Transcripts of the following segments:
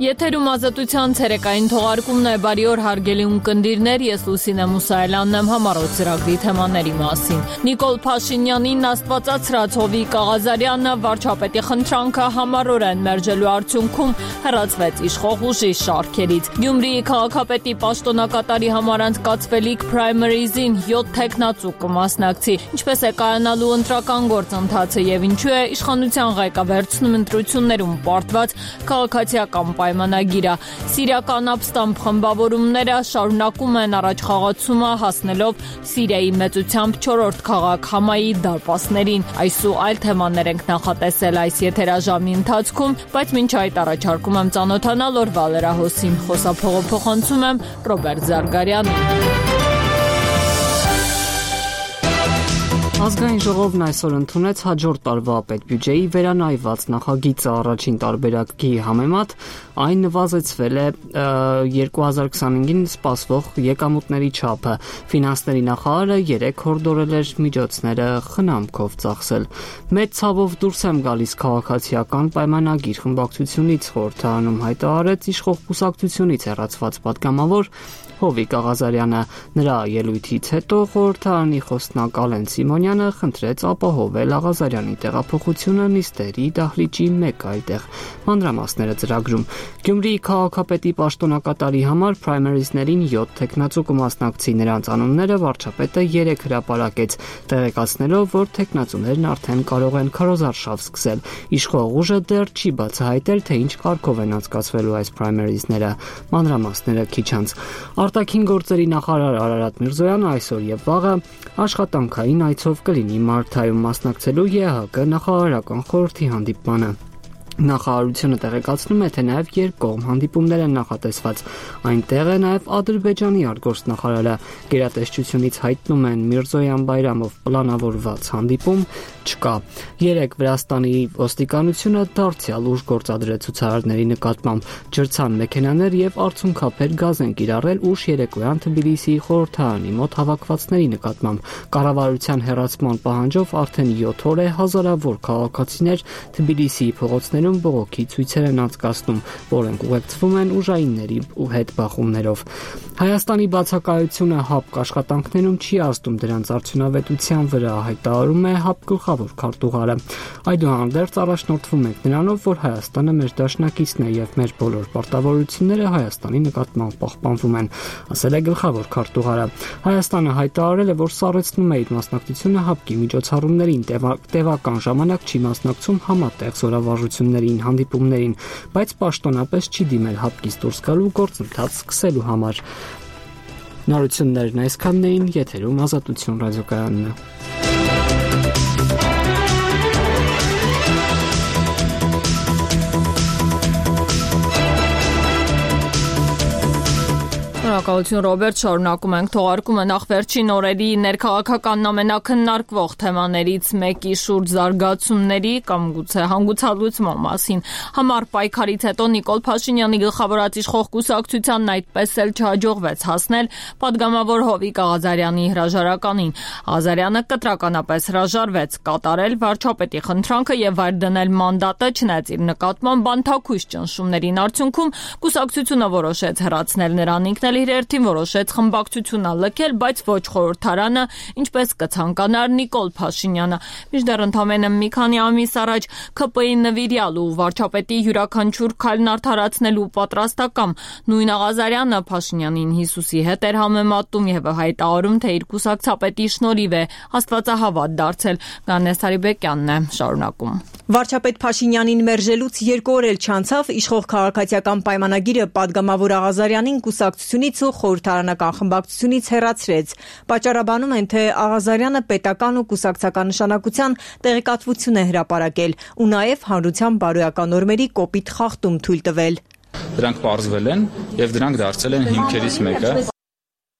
Եթերում ազատության ցերեկային թողարկումն է, բարի օր հարգելի ունկնդիրներ, ես Լուսինե Մուսայելյանն եմ համառոտ ծրագրի թեմաների մասին։ Նիկոլ Փաշինյանին աստվածացրած Հովիկ Աղազարյանը վարչապետի խնդրանքը համառորեն մերժելու արդյունքում հեռացվեց իշխող ուժի շարքերից։ Գյումրիի քաղաքապետի պաշտոնակատարի համար անցկացվելիք primary-զին 7 թեկնածու կմասնակցի, ինչպես է կայանալու ընտրական գործընթացը եւ ինչու է իշխանության ղեկավարությունում ընտրություններում պարտված քաղաքացիական պայմանագիրը։ Սիրիական ապստամբ խմբավորումները շարունակում են առաջխաղացումը հասնելով Սիրիայի մեծությամբ 4-րդ քաղաք Համայի դարպասներին։ Այս ու այլ թեմաներ ենք նախատեսել այս եթերաժամի ընթացքում, բայց մինչ այդ առաջարկում եմ ծանոթանալ օրվա լրահոսին։ Խոսափողով փոխանցում եմ Ռոբերտ Զարգարյանին։ Ազգային ժողովն այսօր ընդունեց հաջորդ տարվա պետբյուջեի վերանայված նախագիծը առաջին տարբերակի համեմատ այն նվազեցվել է 2025-ին սպասվող եկամուտների չափը։ Ֆինանսների նախարարը 3 հորդորել էր միջոցները խնամքով ծախսել։ Մեծ ցավով դուրս եմ գալիս քաղաքացիական պայմանագիր խմբակցությունից խորհրդարանում հայտարարեց իշխող կուսակցությունից հեռացված պատգամավոր Հովիկ Աղազարյանը։ Նրա ելույթից հետո խորհրդարանի խոսնակ Ալեն Սիմոնյանը խնդրեց ապահովել Աղազարյանի տեղափոխությունը նիստերի դահլիճի մեկ այլ տեղ։ Մանրամասները ծրագրում։ Գյումրիի քաղաքապետի պաշտոնակատարի համար primary-ներին 7 թեկնածու կմասնակցի, նրանց անունները վարչապետը 3 հրապարակեց, տեղեկացնելով, որ թեկնածուներն արդեն կարող են քարոզարշավ սկսել։ Իշխող ուժը դեռ չի բացահայտել, թե ինչ կարգով են անցկացվելու այս primary-ները։ Մանրամասները քիչ անց։ Արտաքին գործերի նախարար Արարատ Միրզոյանը այսօր եւ վաղը աշխատանքային այցով կլինի Մալթայում մասնակցելու ԵԱՀԿ նախարարական խորհրդի հանդիպմանը։ Նախարարությունը տեղեկացնում է, թե նաև երկկողմ հանդիպումներ են նախատեսված։ Այնտեղ է նաև Ադրբեջանի արտգործնախարարը։ Գերատեսչությունից հայտնում են Միրզոյան Բայրամով պլանավորված հանդիպում չկա։ 3 Վրաստանի ոստիկանությունը դարձյալ ուժ գործադրեց ցուցարարների նկատմամբ, ջրցան մեքենաներ եւ արցունքափեր գազ են կիրառել ուշ երեկոյան Թբիլիսիի խորհրդարանի մոտ հավաքվածների նկատմամբ։ Կառավարության հեռացման պահանջով արդեն 7 օր է հազարավոր քաղաքացիներ Թբիլիսիի փողոցներում բողոքի ցույցեր են անցկացնում, որոնք ուղեկցվում են ուժայինների հետ բախումներով։ Հայաստանի բացակայությունը ՀԱՊԿ աշխատանքներում չի ազդում դրանց արդյունավետության վրա, հայտարարում է ՀԱՊԿ գլխավոր քարտուղարը։ Այդուհանդերձ առաջնորդվում ենք նրանով, որ Հայաստանը մեր դաշնակիցն է եւ մեր բոլոր պարտավորությունները Հայաստանի նկատմամբ պահպանվում են, ասել է գլխավոր քարտուղարը։ Հայաստանը հայտարարել է, որ սառեցնում է իր մասնակցությունը ՀԱՊԿ-ի միջոցառումներին, տևական ժամանակ չի մասնակցում համատեղ զորավարժություններին, հանդիպումներին, բայց պաշտոնապես չի դիմել ՀԱՊԿ-ից դուրս գալու գործընթաց սկսելու համար։ Նորություններն այսքանն էին, եթերում Ազատություն ռադիոկայանն է։ Շնորհակալություն Ռոբերտ, շարունակում ենք թողարկումը նախ վերջին օրերի ներքաղաքական ամենակննարկվող թեմաներից մեկի շուրջ զարգացումների կամ գուցե հանգուցալուծման մասին։ Համառ պայքարից հետո Նիկոլ Փաշինյանի գլխավորած իշխող կուսակցությանն այդպես էլ չհաջողվեց հասնել պատգամավոր Հովիկ Աղազարյանի հրաժարականին։ Աղազարյանը կտրականապես հրաժարվեց կատարել վարչապետի խնդրանքը եւ վայր դնել մանդատը, չնայած իր նկատմամբ բանթաքույս ճնշումներին արդյունքում կուսակցությունը որոշեց հեռացնել նրան, ինքն էլ իր երթին որոշեց խմբակցությունը լքել, բայց ոչ խորհրդարանը, ինչպես կցանկանար Նիկոլ Փաշինյանը։ Մինչդեռ ընդամենը մի քանի ամիս առաջ ՔՊ-ի նվիրյալ ու վարչապետի յուրաքանչյուր քայլն արդարացնելու պատրաստակամ նույն Աղազարյանը Փաշինյանին Հիսուսի հետ էր համեմատում եւ հայտարարում, թե իր կուսակցապետի շնորհիվ է աստվածահավատ դարձել։ Գանես Հարիբեկյանն է շարունակում։ Վարչապետ Փաշինյանին մերժելուց 2 օր էլ չանցավ իշխող քաղաքացիական պայմանագիրը պատգամավոր Աղազարյանին կուսակցությունից ու խորհրդարանական խմբակցությունից հեռացրեց։ Պատճառաբանում են, թե Աղազարյանը պետական ու կուսակցական նշանակության տեղեկատվություն է հրապարակել ու նաև հանրության բարոյական նորմերի կոպիտ խախտում թույլ տվել։ Դրանք պարզվել են եւ դրանք դարձել են հիմքերից մեկը։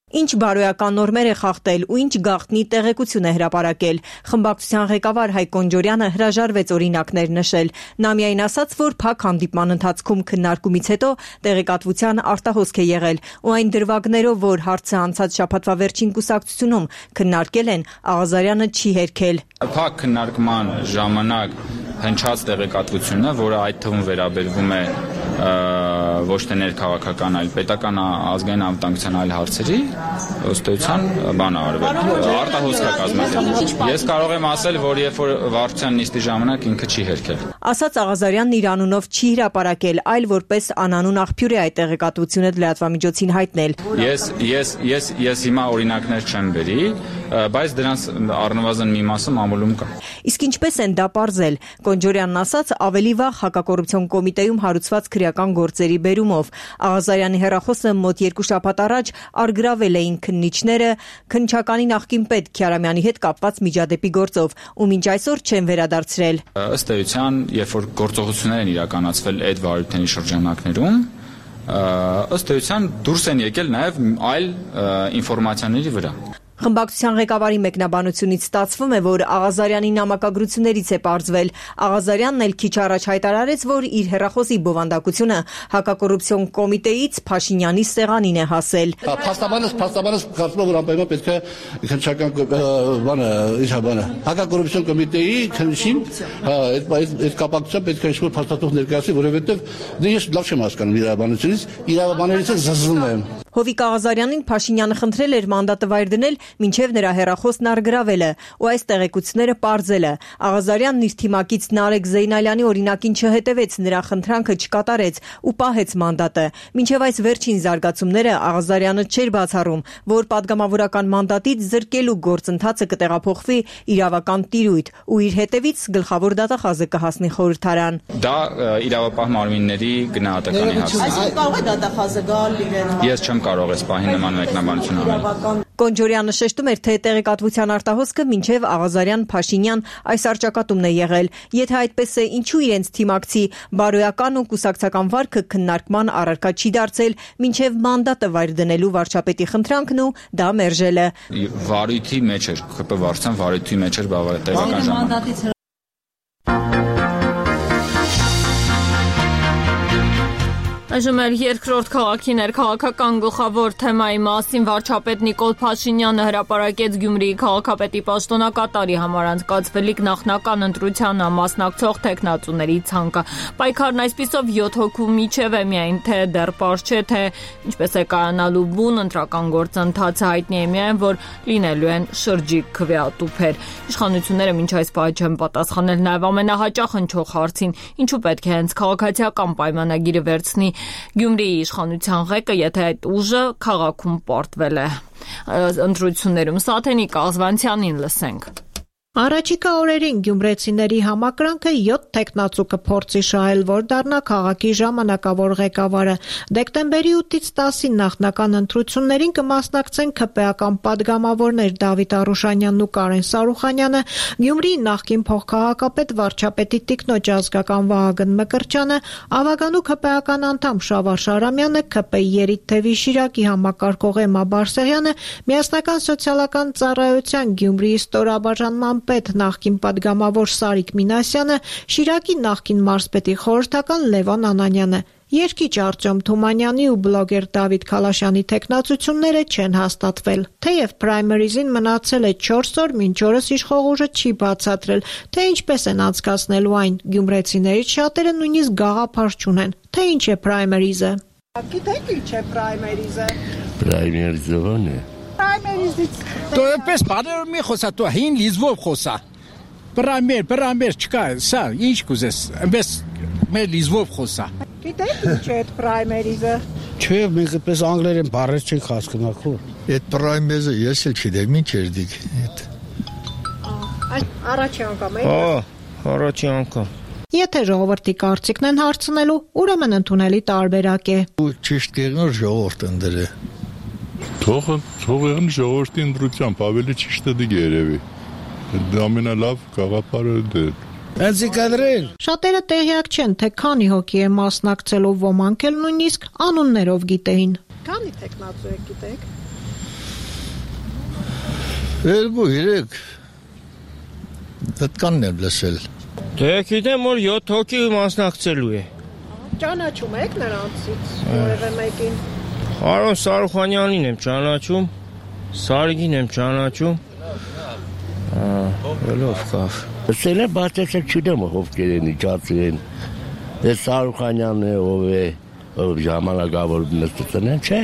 Ինչ բարոյական նորմեր է խախտել ու ինչ գաղտնի տեղեկություն է հրապարակել։ Խմբակցության ղեկավար Հայկ Օնջորյանը հրաժարվեց օրինակներ նշել։ Նա միայն ասաց, որ փակ հանդիպման ընթացքում քննարկումից հետո տեղեկատվության արտահոսք է եղել ու այն դրվագներով, որ հարցը անցած շաբաթվա վերջին կուսակցությունում քննարկել են, Աղազարյանը չի հերքել։ Փակ քննարկման ժամանակ հնչած տեղեկատվությունը, որը այդ թվում վերաբերվում է ոչ թե ներքաղաքական, այլ պետական ազգային անվտանգության այլ հարցերի ըստ էության բան արվել։ Արտահոսք է կազմակերպել։ Ես կարող եմ ասել, որ երբ որ վարչության նիստի ժամանակ ինքը չի հերքել։ Ասաց Աղազարյանն իր անունով չի հրապարակել, այլ որպես անանուն աղբյուր է այդ տեղեկատվությունը լրատվամիջոցին հայտնել։ Ես հիմա օրինակներ չեմ բերի, բայց դրանց առնվազն մի մասը մամուլում կա։ Իսկ ինչպես են դա պարզել։ Կոնջորյանն ասաց, ավելի վաղ հակակոռուպցիոն կոմիտեում հարուցված քրեական գործերի բերումով։ Աղազարյանի հեռախոսը մոտ 2 շաբաթ առաջ արգրավել էին քննիչները քննչականի նախկին պետ Քյարամյանի հետ կապված միջադեպի գործով, ու մինչ այսօր չեն վերադարձրել։ Ըստ էության, երբ որ գործողություններ են իրականացվել այդ վարույթների շրջանակներում, ըստ էության դուրս են եկել նաև այլ ինֆորմացիաների վրա։ Խմբակցության ղեկավարի մեկնաբանությունից ստացվում է, որ Աղազարյանի նամակագրություններից է պարզվել։ Աղազարյանն էլ քիչ առաջ հայտարարեց, որ իր հեռախոսի բովանդակությունը հակակոռուպցիոն կոմիտեից Փաշինյանի սեղանին է հասել։ Փաստաբանս կարծում եմ, որ անպայման պետք է քննչական հակակոռուպցիոն կոմիտեի քննիչին այդ կապակցությամբ պետք է ինչ-որ փաստաթուղթ ներկայացվի, որովհետև ես լավ չեմ հասկանում իրավաբաններից զզվում եմ։ Հովիկ Աղազարյանին Փաշինյանը խնդրել էր մանդատը վայր դնել, մինչև նրա հեռախոսն արգրավելը, ու այս տեղեկությունները պարզելը։ Աղազարյանն իր թիմակից Նարեկ Զեյնալյանի օրինակին չհետևեց, նրա խնդրանքը չկատարեց ու պահեց մանդատը։ Մինչև այս վերջին զարգացումները Աղազարյանը չէր բացառում, որ падգամավորական մանդատից զրկելու գործընթացը կտեղափոխվի իրավական տիրույթ ու իր հետևից գլխավոր դատախազը կհասնի խորհրդարան։ Դա իրավապահ մարմինների գնահատականի հարց է։ Այսինքն կարող է դատախազը գալ իրեն։ Ես չեմ կարող այս պահին նման մեկնաբանություն անել։ Կոնջորյանը շեշտում էր, թե տեղեկատվության արտահոսքը մինչև Աղազարյան-Փաշինյան այս արճակատումն է եղել։ Եթե այդպես է, ինչու իրենց թիմակցի բարոյական ու կուսակցական վարքը քննարկման առարկա չի դարձել, մինչև մանդատը վայր դնելու վարչապետի խնդրանքն ու դա մերժելը։ Վարույթի մեջ էր, ԿՊ վարչության վարույթի մեջ էր բավականին ժամանակ։ Այժմ էլ երկրորդ քաղաքի ներքաղաքական գլխավոր թեմայի մասին վարչապետ Նիկոլ Փաշինյանը հրապարակեց Գյումրիի քաղաքապետի պաշտոնակատարի համար անցկացվելիք նախնական ընտրությանը մասնակցող տեխնացուների ցանկը։ Պայքարն այսպիսով 7 հոգու միջև է, միայն թե դեռ պարզ չէ, թե ինչպես է կայանալու բուն ընտրական գործընթացը, հայտնի է միայն, որ լինելու են շրջիկ քվեատուփեր։ Իշխանությունները մինչ այս պահի չեն պատասխանել նաև ամենահաճախ հնչող հարցին, ինչու պետք է հենց քաղաքացիական պայմանագիրը վերցնի Գյումրիի իշխանության ղեկը, եթե այդ ուժը քաղաքում պարտվել է։ Ընտրություններում Սաթենիկ Ազվանցյանին լսենք։ Առաջիկա օրերին գյումրեցիների համակրանքը 7 տեխնացու կփորձի շահել, որ դառնա քաղաքի ժամանակավոր ղեկավարը։ Դեկտեմբերի 8-ից 10-ին նախնական ընտրություններին կմասնակցեն ՔՊ-ական падգամավորներ Դավիթ Արուշանյանն ու Կարեն Սարուխանյանը, Գյումրիի նախկին փոխքաղաքապետ վարչապետի տիկնոջ ազգական Վահագն Մկրտչյանը, Ավագանու ՔՊ-ական անդամ Շավարշ Արամյանը, ՔՊ-ի Երիթթևի Շիրակի համակարգող Էմմա Բարսեղյանը, Միասնական սոցիալական ծառայության Գյումրիի ստորաբաժանման պետ նախկին падգամավոր Սարիկ Մինասյանը, Շիրակի նախկին մարզպետի խորհրդական Լևոն Անանյանը։ Երգիչ Արտյոմ Թումանյանի ու բլոգեր Դավիթ Քալաշյանի տեխնացությունները չեն հաստատվել։ Թեև պրայմերիզին մնացել է 4 օր, մինչ օրս իշխող ուժը չի բացատրել, թե ինչպես են անցկացնելու այն։ Գյումրեցիներից շատերը նույնիսկ գաղափար չունեն, թե ինչ է պրայմերիզը։ Գիտեք ինչ է պրայմերիզը։ Պրայմերիզը ո՞ն է։ То պես բաներ մի խոսա, то հին լիզվով խոսա։ Պրամեր չկա, սա ինչ կուզես, այնպես մեր լիզվով խոսա։ Գիտեք ինչ է այդ պրայմերիզը։ Չէ, մենք պես անգլերեն բառեր չենք հասկանում քո։ Այդ պրայմերիզը ես էլ չգիտեմ, ինչ էր դիք։ Առաջի անգամ է։ Առաջի անգամ։ Եթե ժողովրդի կարծիքն են հարցնելու, ուրեմն ընդունելի տարբերակ է։ Ճիշտ կերնոր ժողովուրդ ընդրե։ Թողեն ժողովրդի ընտրությամբ ավելի ճիշտ է դիգ երևի։ Դա ամենալավ գաղափարը դե։ Անցիկադրել։ Շատերը տեղյակ չեն, թե քանի հոգի է մասնակցելու, ոմանք էլ նույնիսկ անուններով գիտեին։ Քանի տեխնացու եք գիտեք։ 2-3 Դատկանն եմ լսել։ Դե գիտեմ, որ 7 հոգի մասնակցելու է։ Ճանաչում եք նրանցից որևէ մեկին։ Արոն Սարուխանյանին եմ ճանաչում, Սարիգին եմ ճանաչում։ Ով կավ։ Սելը բացեցել չունեմ ով կերենի ճացրեն։ Դե Սարուխանյանն է, ով է ժամանակավոր նստությունն չէ։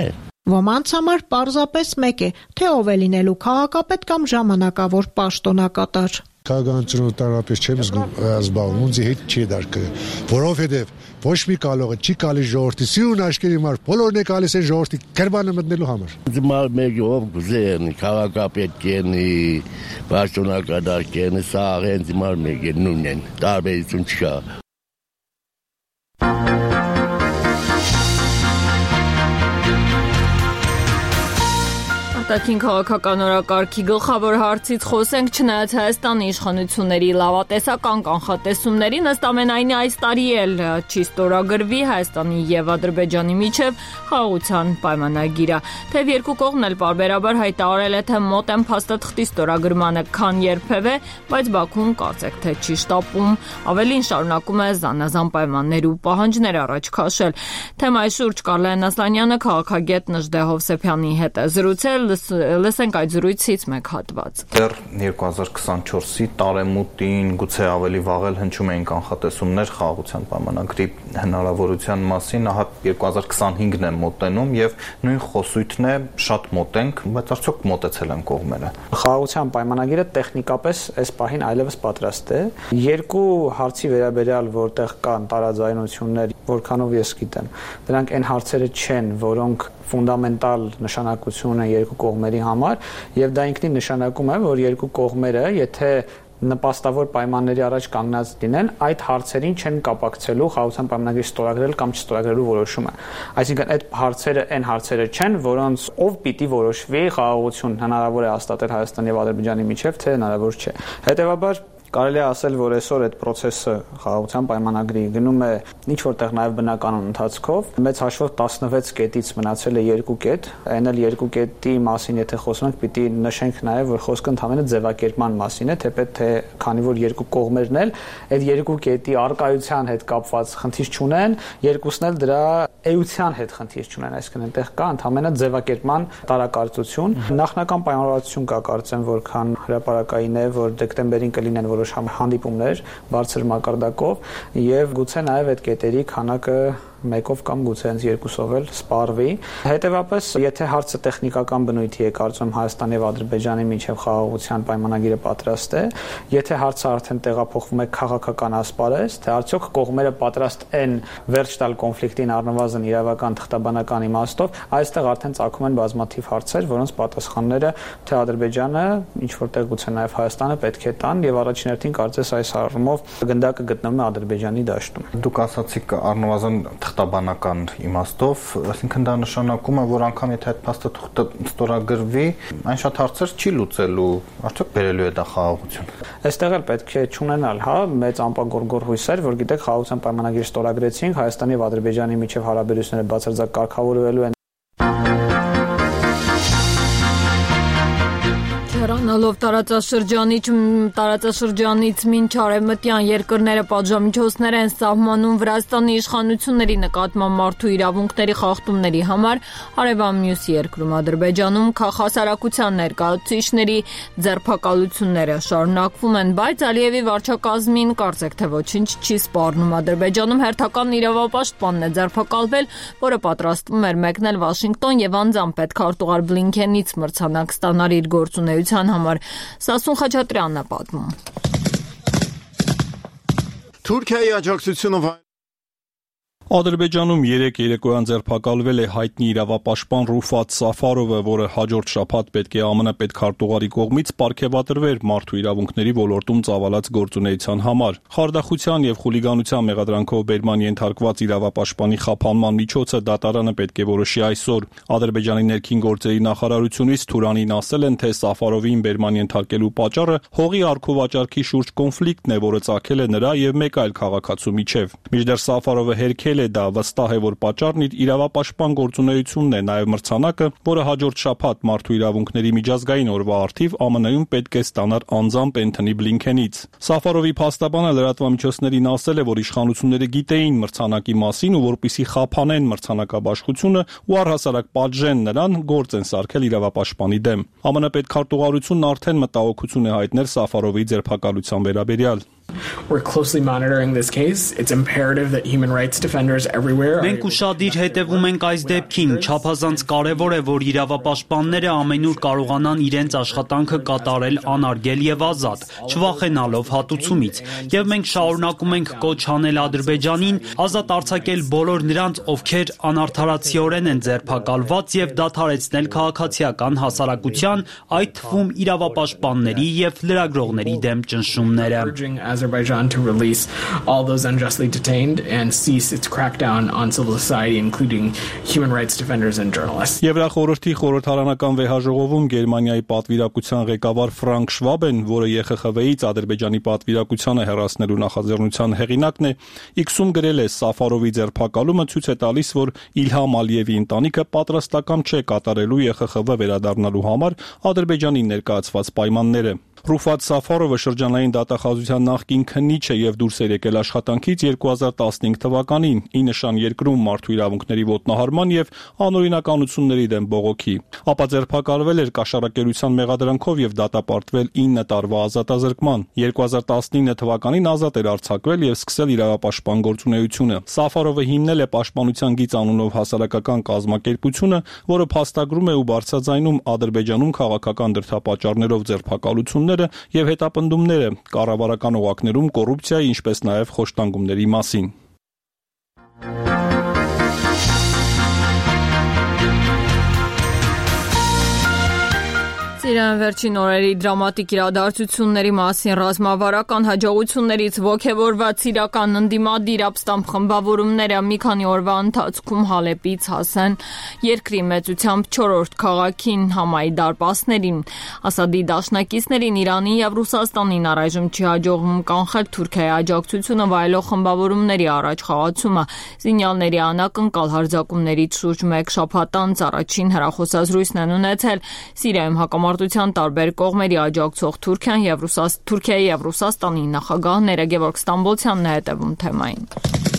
Ոմանց համար պարզապես մեկ է, թե ով է լինելու քաղաքապետ կամ ժամանակավոր պաշտոնակատար։ Քաղաքականություն տարապես չեմ զբաղվում, ինձ հետ չի դարկը, որովհետև ոչ մի կալողը չի գալիս ժողովրդի սիրուն աշկերի համար, բոլորն է գալիս են ժողովրդի կերբանը մտնելու համար։ Ձմալ մեկ ով գուզեն, քաղաքապետ կենի, պաշտոնակատար կենի, սա հենց ձմալ մեկ է նույնն են, տարբերություն չկա։ Արտաքին քաղաքական օրակարգի գլխավոր հարցից խոսենք, չնայած Հայաստանի իշխանությունների լավատեսական կանխատեսումներին, ըստ ամենայնի այս տարի էլ չի ստորագրվի Հայաստանի եւ Ադրբեջանի միջև խաղաղության պայմանագիրը։ Թեև երկու կողմն էլ պարբերաբար հայտարարել է, թե մոտ են փաստաթղթի ստորագրմանը, քան երբևէ, բայց Բաքուն կարծեք թե չի շտապում, ավելին շարունակում է զանազան պայմաններ ու պահանջներ առաջ քաշել։ Թեմայի շուրջ Կարլեն Ասլանյանը քաղաքագետ Նժդե Հովսեփյանի հետ է զրուցել, լսենք այդ զրույցից մեկ հատված։ Դեռ 2024-ի տարեմուտին գուցե ավելի վաղ էլ հնչում էին կանխատեսումներ խաղաղության պայմանագրի հնարավորության մասին, ահա 2025-ն է մոտենում եւ նույն խոսույթն է շատ մոտենք, բայց արդյոք մոտեցել են կողմերը։ Խաղաղության պայմանագիրը տեխնիկապես այս պահին այլևս պատրաստ է։ Երկու հարցի վերաբերյալ, որտեղ կան տարաձայնություններ, որքանով ես գիտեմ, դրանք այն հարցերը չեն, որոնք ֆունդամենտալ նշանակություն ունեն երկու կողմերի համար, եւ դա ինքնին նշանակում է, որ երկու կողմերը, եթե նպաստավոր պայմանների առաջ կանգնած լինեն, այդ հարցերին չեն կապակցելու խաղաղության պայմանագրի ստորագրել կամ չստորագրելու որոշումը։ Այսինքն այդ հարցերը այն հարցերը չեն, որոնց ով պիտի որոշվի խաղաղություն հնարավոր է հաստատել Հայաստանի եւ Ադրբեջանի միջև, թե հնարավոր չէ։ Հետեւաբար կարելի է ասել, որ այսօր այդ process-ը խաղաղության պայմանագրի գնում է ինչ որտեղ նաև բնականon ընթացքով, մեծ հաշվով 16 կետից մնացել է 2 կետ, այն էլ 2 կետի մասին եթե խոսում ենք, պիտի նշենք նաև, որ խոսքը ընդհանրապես ձևակերպման մասին է, թեպետ թե քանի որ երկու կողմերն էլ այդ 2 կետի արկայության հետ կապված խնդիր չունեն, երկուսն էլ դրա էության հետ խնդիր չունեն, այսինքն այնտեղ կա ընդհանրապես ձևակերպման տարակարծություն։ Նախնական պայմանավորվածություն կա, կարծեմ, որքան հրապարակային է, որ դեկտեմբերին կլինեն որոշ հանդիպումներ բարձր մակարդակով եւ գուցե նաեւ այդ կետերի քանակը մեկով կամ գուցե հենց երկուսով էլ սպառվի։ Հետևաբար, եթե հարցը տեխնիկական բնույթի է, կարծում Հայաստանի եւ Ադրբեջանի միջև խաղաղության պայմանագիրը պատրաստ է, եթե հարցը արդեն տեղափոխվում է քաղաքական ասպարեզ, թե արդյոք կողմերը պատրաստ են վերջ տալ կոնֆլիկտին առնվազն իրավական թղթաբանական իմաստով, այստեղ արդեն ծագում են բազմաթիվ հարցեր, որոնց պատասխանները թե Ադրբեջանը, ինչ որտեղ գուցե նաեւ Հայաստանը պետք է տան եւ առաջին հերթին կարծես այս առումով գնդակը գտնվում է Ադրբեջանի դաշտում։ Դուք ասացիք առնվազն թղթաբանական իմաստով, այսինքն դա նշանակում է, որ անգամ եթե այդ փաստաթուղթը ստորագրվի, այն շատ հարցեր չի լուծելու, արդյոք բերելու է դա խաղաղություն։ Այստեղ էլ պետք է չունենալ, մեծ ամպագորգոր հույսեր, որ գիտեք, խաղաղության պայմանագիր ստորագրեցինք, Հայաստանի եւ Ադրբեջանի միջև հարաբերությունները բացարձակ կարգավորվելու են։ Հեռանալով տարածաշրջանից մինչ արևմտյան երկրները պատժամիջոցներ են սահմանում Վրաստանի իշխանությունների նկատմամբ մարդու իրավունքների խախտումների համար, հարևան մյուս երկրում Ադրբեջանում քաղաքասարակության ներկայացուցիչների ձերբակալությունները շարունակվում են, բայց Ալիևի վարչակազմին կարծեք թե ոչինչ չի սպառնում։ Ադրբեջանում հերթական իրավապաշտպանն է ձերբակալվել, որը պատրաստվում էր մեկնել Վաշինգտոն եւ անձամբ պետքարտուղար Բլինքենից մրցանակ ստանալ իր գործունեության համար։ Սասուն Խաչատրյանն է պատմում։ Թուրքիայի աջակցությունը Ադրբեջանում երեկոյան ձերբակալվել է հայտնի իրավապաշտպան Ռուֆատ Սաֆարովը, որը հաջորդ շաբաթ պետք է ԱՄՆ պետքարտուղարի կողմից պարգևատրվեր մարդու իրավունքների ոլորտում ծավալած գործունեության համար։ Խարդախության եւ խուլիգանության մեղադրանքով բերման ենթարկված իրավապաշտպանի խափանման միջոցը դատարանը պետք է որոշի այսօր։ Ադրբեջանի ներքին գործերի նախարարությունից Թուրանին ասել են, թե Սաֆարովին բերման ենթարկելու պատճառը հողի առքովաճառքի շուրջ կոնֆլիկտն է, որը ծագել է նրա եւ մեկ այլ քաղաքացու միջև։ Մինչդեռ Սաֆարովը հերքել է դա, վստահ է, որ պատճառն իր իրավապաշտպան գործունեությունն է, նաև մրցանակը, որը հաջորդ շաբաթ մարդու իրավունքների միջազգային օրվա առթիվ ԱՄՆ-ում պետք է ստանար անձամբ Էնթոնի Բլինքենից։ Սաֆարովի փաստաբանը լրատվամիջոցներին ասել է, որ իշխանությունները գիտեին մրցանակի մասին ու որպիսի խափանեն մրցանակաբաշխությունը ու առհասարակ պատժեն նրան, գործ են սարքել իրավապաշտպանի դեմ։ ԱՄՆ պետքարտուղարությունն արդեն մտահոգություն է հայտնել Սաֆարովի ձերբակալության վերաբերյալ։ We're closely monitoring this case. It's imperative that human rights defenders everywhere. Մենք ուշադիր հետևում ենք այս դեպքին, չափազանց կարևոր է, որ իրավապաշտպանները ամենուր կարողանան իրենց աշխատանքը կատարել անարգել եւ ազատ, չվախենալով հատուցումից։ Եվ մենք շարունակում ենք կոչ անել Ադրբեջանին ազատ արձակել բոլոր նրանց, ովքեր անարդարացիորեն են ձերբակալված եւ դադարեցնել քաղաքացիական հասարակության, այդ թվում իրավապաշտպանների եւ լրագրողների դեմ ճնշումները։ Azerbaijan to release all those unjustly detained and cease its crackdown on civil society, including human rights defenders and journalists. Եվրախորհրդի խորհրդարանական վեհաժողովում Գերմանիայի պատվիրակության ղեկավար Ֆրանկ Շվաբեն, որը ԵԽԽՎ-ից Ադրբեջանի պատվիրակությանը հեռացնելու նախաձեռնության հեղինակն է, X-ում գրել է Սաֆարովի ձերբակալումը ցույց է տալիս, որ Իլհամ Ալիևի ընտանիքը պատրաստական չէ կատարելու ԵԽԽՎ վերադառնալու համար Ադրբեջանի ներկայացված պայմանները։ Ռուֆատ Սաֆարովը շրջանային դատախազության նախկին քննիչ է եւ դուրս էր եկել աշխատանքից 2015 թվականին՝ ի նշան երկրում մարդու իրավունքների ոտնահարման եւ անօրինականությունների դեմ բողոքի։ Ապա ձերբակալվել էր կաշառակերության մեղադրանքով եւ դատապարտվել 9 տարվա ազատազրկման։ 2019 թվականին ազատ էր արձակվել եւ սկսել իրավապաշտպան գործունեությունը։ Սաֆարովը հիմնել է Պաշտպանության գիծ անունով հասարակական կազմակերպությունը, որը փաստագրում է ու բարձրաձայնում Ադրբեջանում քաղաքական դրդապատճառներով ձերբակալություններ եւ հետապնդումները կառավարական օղակներում կոռուպցիայի, ինչպես նաեւ խոշտանգումների մասին։ Իրան վերջին օրերի դրամատիկ իրադարձությունների մասին ռազմավարական հաջողություններից ոգևորված իրական ընդդիմադիր ապստամբ խմբավորումները մի քանի օրվա ընթացքում Հալեպից հասան երկրի մեծությամբ 4-րդ քաղաքին Համայի դարպասներին։ Ասադի դաշնակիցներին Իրանին եւ Ռուսաստանին առայժմ չի հաջողվում կանխել Թուրքիայի աջակցությունը վայելող խմբավորումների առաջխաղացումը։ Զինյալների անակնկալ հարձակումներից շուրջ 1 շաբաթ անց առաջին հեռախոսազրույցն են ունեցել Սիրիայում հակամարտության տարբեր կողմերի աջակցող Թուրքիայի եւ Ռուսաստանի նախագահները։ Գևորգ Ստամբոլցյանն է հետևում թեմային։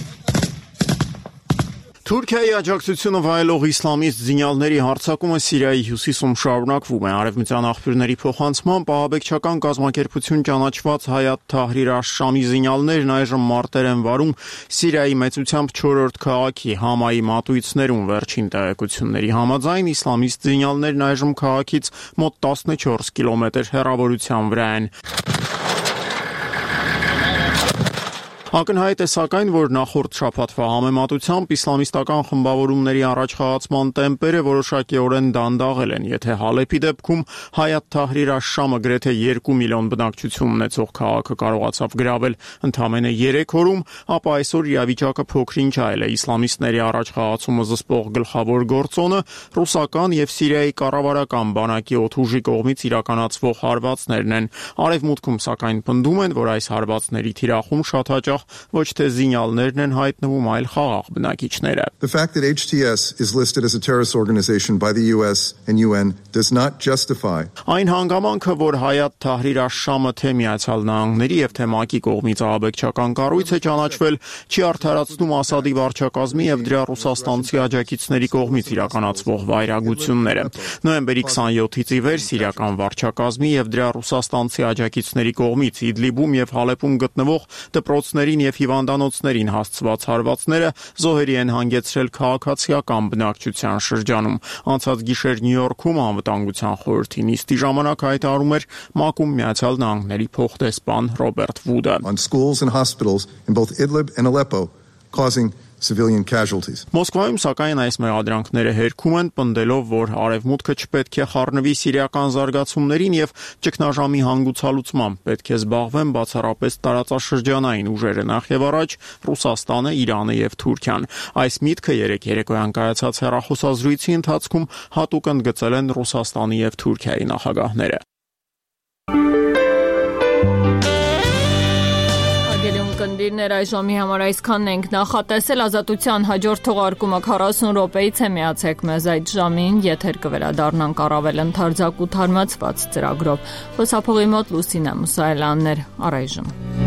Թուրքիայի աջակցությունը վայելող իսլամիստ զինյալների հարձակումը Սիրիայի հյուսիսում շարունակվում է։ Արևմտյան աղբյուրների փոխանցմամբ ահաբեկչական կազմակերպություն ճանաչված Հայաթ Թահրիր աշ-Շամի զինյալներն այժմ մարտեր են վարում Սիրիայի մեծությամբ 4-րդ քաղաքի Համայի մատույցներում։ Վերջին տեղեկությունների համաձայն իսլամիստ զինյալներն այժմ քաղաքից մոտ 14 կիլոմետր հեռավորության վրա են։ Ակնհայտ է սակայն, որ նախորդ շաբաթվա համեմատությամբ իսլամիստական խմբավորումների առաջխաղացման տեմպերը որոշակիորեն դանդաղել են։ Եթե Հալեպի դեպքում Հայաթ Թահրիր աշ-Շամը գրեթե 2 միլիոն բնակչություն ունեցող քաղաքը կարողացավ գրավել ընդամենը 3 օրում, ապա այսօր իրավիճակը փոքր-ինչ այլ է։ Իսլամիստների առաջխաղացումը զսպող գլխավոր գործոնը ռուսական եւ Սիրիայի կառավարական բանակի օդուժի կողմից իրականացվող հարվածներն են։ Արևմուտքում սակայն պնդում են, որ այս հարվածների թիրախում շատ հաճախ ոչ թե զինյալներն են հայտնվում, այլ խաղաղ բնակիչները։ The fact that HTS is listed as a terrorist organization by the US and UN does not justify. Այն հանգամանքը, որ Հայաթ Թահրիր աշ-Շամը թե Միացյալ Նահանգների եւ թե ՄԱԿ-ի կողմից ահաբեկչական կառույց է ճանաչվել, չի արդարացնում Ասադի վարչակազմի եւ դրա ռուսաստանցի աջակիցների կողմից իրականացվող վայրագությունները։ Նոյեմբերի 27-ից ի վեր սիրիական վարչակազմի եւ դրա ռուսաստանցի աջակիցների կողմից Իդլիբում եւ Հալեպում գտնվող դպրոցների եւ հիվանդանոցներին հասցված հարվածները զոհերի են հանգեցրել քաղաքացիական բնակչության շրջանում։ Անցած գիշեր Նյու Յորքում անվտանգության խորհրդի նիստի ժամանակ հայտարարում էր ՄԱԿ-ում Միացյալ Նահանգների փոխդեսպան Ռոբերտ Վուդը։ On schools and hospitals in both Idlib and Aleppo causing civilian casualties. Մոսկվայում սակայն այս մեղադրանքները հերքում են, պնդելով, որ արևմուտքը չպետք է խառնվի սիրիական զարգացումներին եւ ճգնաժամի հանգուցալուծմամբ պետք է զբաղվեն բացառապես տարածաշրջանային ուժերը, նախ եւ առաջ Ռուսաստանը, Իրանը եւ Թուրքիան։ Այս միտքը երեկոյան կայացած հեռախոսազրույցի ընթացքում հատուկ ընդգծել են Ռուսաստանի եւ Թուրքիայի նախագահները։ Կնդիրներ այժմի համար այսքանն ենք նախատեսել ազատության հաջորդ թողարկումը 40 րոպեից է միացեք մեզ այդ ժամին, եթեր կվերադառնանք առավել ընդարձակ ու թարմացված ծրագրով։ Խոսափողի մոտ Լուսինե Մուսայելյանն էր, առայժմ։